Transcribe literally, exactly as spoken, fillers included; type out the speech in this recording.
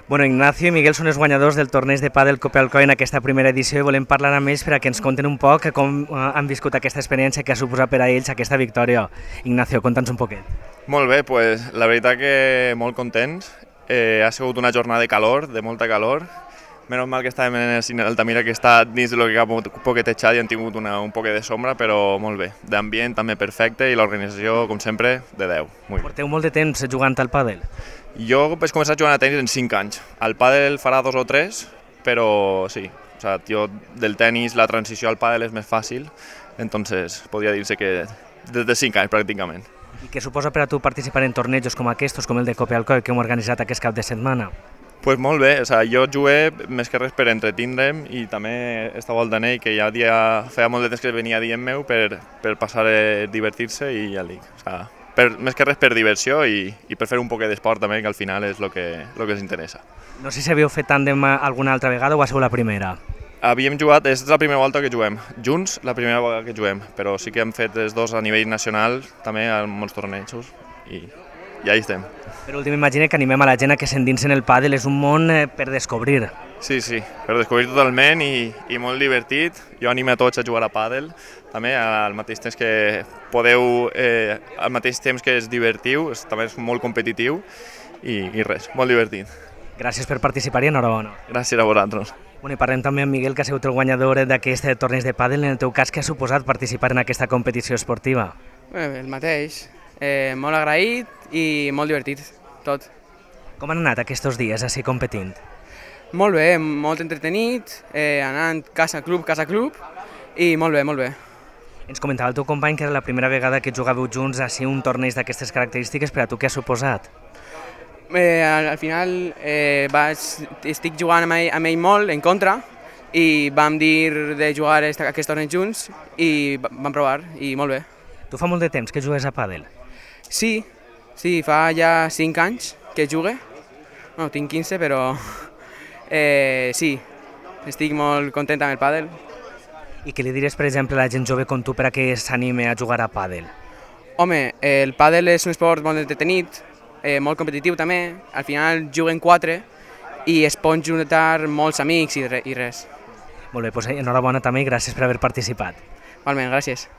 Bueno, Ignacio i Miguel són els guanyadors del torneig de pàdel Copa Alcoi en aquesta primera edició i volem parlar amb ells per a que ens conten un poc com han viscut aquesta experiència que ha suposat per a ells aquesta victòria. Ignacio, conta'ns un poquet. Molt bé, pues, la veritat que molt contents. Eh, ha sigut una jornada de calor, de molta calor. Menys mal que estàvem en el cine d'Altamira, que està dins del que ha poquetejat i han tingut una, un poquet de sombra, però molt bé. D'ambient també perfecte i l'organització, com sempre, de deu. Muy Porteu molt de temps jugant al pàdel? Jo vaig començar a jugar a tenis en cinc anys. Al pàdel farà dos o tres, però sí. O sea, jo, del tenis la transició al pàdel és més fàcil, entonces podria dir-se que des de cinc anys pràcticament. I què suposa per a tu participar en tornejos com aquests, com el de Copa Alcoi, que hem organitzat aquest cap de setmana? Pues molt bé, o sea, jo jugué més que res per entretindre'm i també estava al Danell, que ja dia, feia molt de temps que venia dient meu per, per passar a divertir-se i ja dic, o sea, per, més que res per diversió i, i per fer un poc d'esport també, que al final és el que, lo que ens interessa. No sé si havíeu fet tàndem alguna altra vegada o ha sigut la primera? Havíem jugat, és la primera volta que juguem, junts la primera vegada que juguem, però sí que hem fet els dos a nivell nacional, també a molts tornejos, i ja hi estem. Per últim, imagina que animem a la gent a que s'endinsen el pàdel, és un món per descobrir. Sí, sí, per descobrir totalment i, i molt divertit. Jo animo a tots a jugar a pàdel, també al mateix temps que podeu, eh, al mateix temps que es divertiu, és, també és molt competitiu i, i res, molt divertit. Gràcies per participar i enhorabona. Gràcies a vosaltres. Bueno, i parlem també amb Miguel, que ha sigut el guanyador d'aquest torneig de pàdel. En el teu cas, què ha suposat participar en aquesta competició esportiva? Bé, el mateix, eh, molt agraït i molt divertit, tot. Com han anat aquests dies així competint? Molt bé, molt entretenit, eh, anant casa club, casa club, i molt bé, molt bé. Ens comentava el teu company que era la primera vegada que jugàveu junts així un torneig d'aquestes característiques, per a tu què ha suposat? Eh, al, al final eh, vaig, estic jugant amb ell, amb ell molt en contra i vam dir de jugar esta, aquest torneig junts i vam provar i molt bé. Tu fa molt de temps que jugues a pàdel? Sí, sí, fa ja cinc anys que jugue. No, tinc quinze, però eh, sí, estic molt content amb el pàdel. I què li diries, per exemple, a la gent jove com tu per a que s'anime a jugar a pàdel? Home, el pàdel és un esport molt entretenit, eh, molt competitiu també. Al final juguen quatre i es pot juntar molts amics i, re, i res. Molt bé, doncs enhorabona també i gràcies per haver participat. Igualment, gràcies.